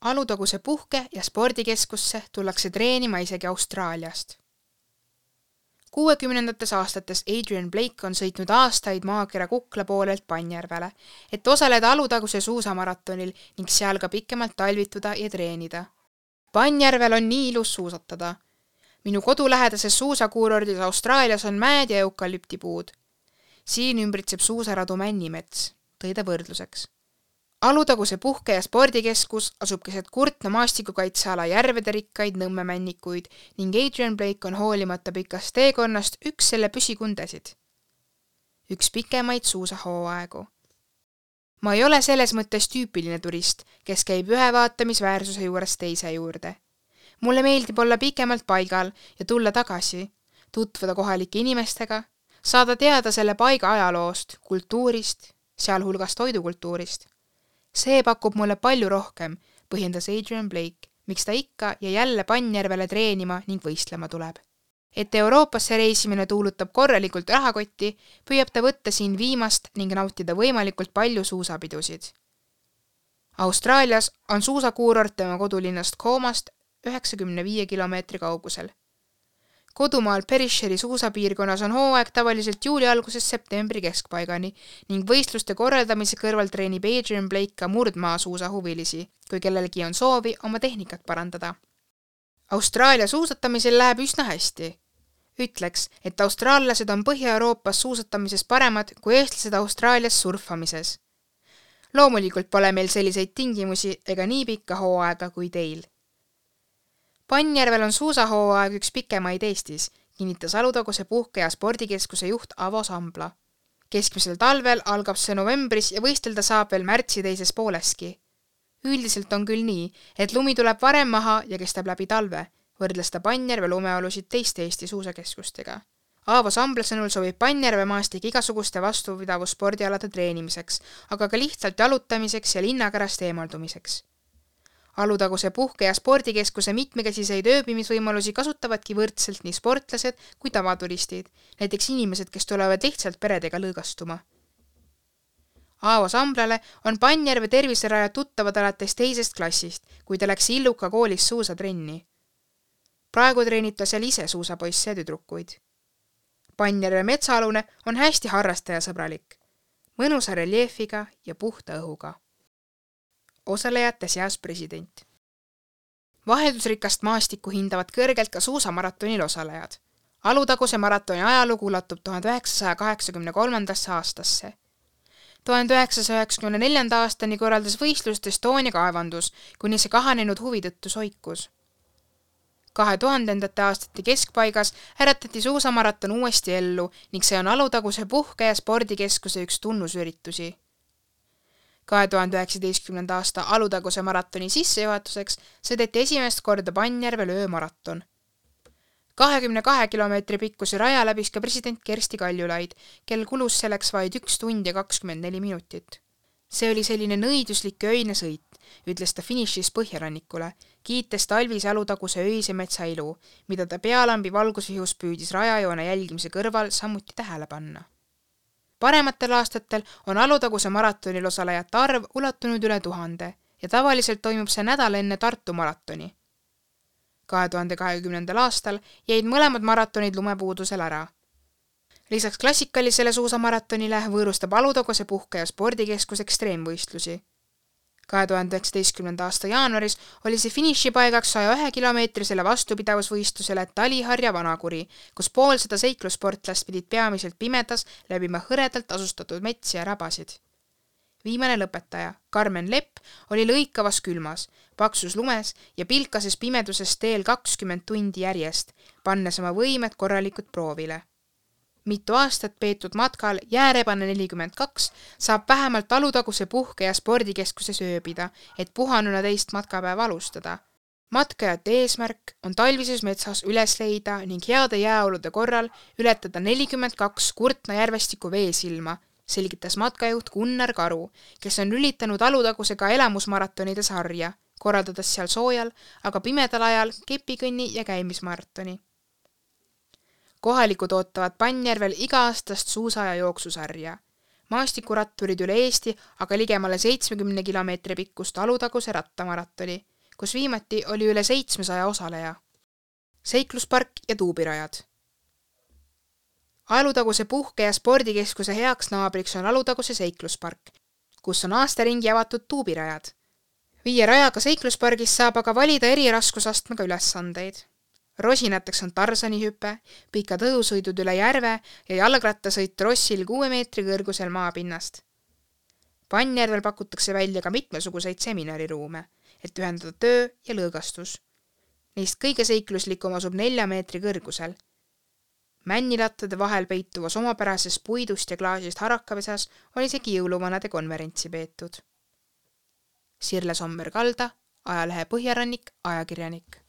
Alutaguse puhke- ja spordikeskusse tullakse treenima isegi Austraaliast. 60ndates aastates Adrian Blake on sõitnud aastaid maakera Kukla poolelt Pannjärvele, et osaleda Alutaguse suusamaratonil ning seal ka pikemalt talvituda ja treenida. Pannjärvel on nii ilus suusatada. Minu kodulähedases suusakuurordis Austraalias on mäed ja eukalüptipuud. Siin ümbritseb suusaradu Männimets, tõi ta võrdluseks. Alutaguse puhke- ja spordikeskus asub keset Kurtna maastikukaitseala järvede rikkaid nõmmemännikuid ning Adrian Blake on hoolimata pikast teekonnast üks selle püsikundesid. Üks pikemaid suusahooaegu. Ma ei ole selles mõttes tüüpiline turist, kes käib ühe vaatamisväärsuse juures teise juurde. Mulle meeldib olla pikemalt paigal ja tulla tagasi, tutvuda kohalike inimestega, saada teada selle paiga ajaloost, kultuurist, sealhulgas toidukultuurist. See pakub mulle palju rohkem, põhjendas Adrian Blake, miks ta ikka ja jälle Pannjärvele treenima ning võistlema tuleb. Et Euroopasse reisimine tuulutab korralikult rahakotti, püüab ta võtta siin viimast ning nautida võimalikult palju suusapidusid. Austraalias on suusakuurort tema kodulinnast Coomast 95 kilomeetri kaugusel. Kodumaal Perisheri suusapiirkonnas on hooaeg tavaliselt juuli algusest septembri keskpaigani ning võistluste korraldamise kõrval treenib Adrian Blake ka murdmaa suusahuvilisi, kui kellelgi on soovi oma tehnikat parandada. Austraalia suusatamisel läheb üsna hästi. Ütleks, et austraallased on Põhja-Euroopas suusatamises paremad kui eestlased Austraalias surfamises. Loomulikult pole meil selliseid tingimusi ega nii pikka hooaega kui teil. Pannjärvel on suusahooaeg üks pikemaid Eestis, kinnitas Alutaguse puhke- ja spordikeskuse juht Avo Sambla. Keskmisel talvel algab see novembris ja võistelda saab veel märtsi teises pooleski. Üldiselt on küll nii, et lumi tuleb varem maha ja kestab läbi talve, võrdles ta Pannjärve lumeolusid teiste Eesti suusakeskustega. Avo Sambla sõnul sobib Pannjärve maastik igasuguste vastupidavusspordialade treenimiseks, aga ka lihtsalt jalutamiseks ja linnakärast eemaldumiseks. Alutaguse puhke- ja spordikeskuse mitmekäsiseid ööbimisvõimalusi kasutavadki võrdselt nii sportlased kui tavaturistid, näiteks inimesed, kes tulevad lihtsalt peredega lõõgastuma. Aavo Samblale on Pannjärve terviserajad tuttavad alates teisest klassist, kui ta läks Illuka koolis suusatrenni. Praegu treenib ta seal ise suusapoisse ja tüdrukuid. Pannjärve metsaalune on hästi harrastajasõbralik, mõnusa reljeefiga ja puhta õhuga. Osalejate seas president. Vaheldusrikast maastikku hindavad kõrgelt ka suusamaratonil osalejad. Alutaguse maratoni ajalugu ulatub 1983. aastasse. 1994. aastani korraldas võistlust Estonia kaevandus, kuni see kahanenud huvi tõttu soikus. 2000. aastate keskpaigas äratati suusamaraton uuesti ellu ning see on Alutaguse puhke- ja spordikeskuse üks tunnusüritusi. 2019. aasta Alutaguse maratoni sissejuhatuseks sõideti esimest korda Pannjärvel öömaraton. 22 kilomeetri pikkuse raja läbis ka president Kersti Kaljulaid, kel kulus selleks vaid 1 tund ja 24 minutit. See oli selline nõiduslik öine sõit, ütles ta finišis Põhjarannikule, kiites talvise Alutaguse öise metsailu, mida ta pealambi valgusvihus püüdis rajajoone jälgimise kõrval samuti tähele panna. Parematel aastatel on Alutaguse maratonil osalejate arv ulatunud üle 1000 ja tavaliselt toimub see nädal enne Tartu maratoni. 2020. aastal jäid mõlemad maratonid lumepuudusel ära. Lisaks klassikalisele suusamaratonile võõrustab Alutaguse puhke- ja spordikeskus ekstreemvõistlusi. 2019. aasta jaanuaris oli see finišipaigaks 101 kilomeetrisele vastupidavusvõistlusele Taliharja Vanakuri, kus poolsada seiklussportlast pidid peamiselt pimedas läbima hõredalt asustatud metsi ja rabasid. Viimane lõpetaja, Karmen Lepp, oli lõikavas külmas, paksus lumes ja pilkases pimeduses teel 20 tundi järjest, pannes oma võimed korralikult proovile. Mitu aastat peetud matkal Jäärebane 42 saab vähemalt Alutaguse puhke- ja spordikeskuses ööbida, et puhanuna teist matkapäeva alustada. Matkajate eesmärk on talvises metsas üles leida ning heade jääolude korral ületada 42 Kurtna järvestiku veesilma, selgitas matkajuht Gunnar Karu, kes on lülitanud Alutagusega elamusmaratonide sarja, korraldades seal soojal, aga pimedal ajal kepikõnni ja käimismaratoni. Kohalikud ootavad Pannjärvel iga-aastast suusa- ja jooksusarja. Maastikuratturid üle Eesti aga ligemale 70 kilomeetri pikkust Alutaguse rattamaratoni, kus viimati oli üle 700 osaleja. Seikluspark ja tuubirajad. Alutaguse puhke- ja spordikeskuse heaks naabriks on Alutaguse seikluspark, kus on aastaringi avatud tuubirajad. 5 rajaga seikluspargis saab aga valida eri raskusastmega ülesandeid. Rosinateks on Tarsani hüpe, pikad õhusõidud üle järve ja jalgrattasõit trossil 6 meetri kõrgusel maapinnast. Pannjärvel pakutakse välja ka mitmesuguseid seminariruume, et ühendada töö ja lõõgastus. Neist kõige seikluslikum asub 4 meetri kõrgusel. Männilattade vahel peituvas omapärases puidust ja klaasist harakapesas on isegi jõuluvanade konverentsi peetud. Sirle Sommer-Kalda, ajalehe Põhjarannik, ajakirjanik.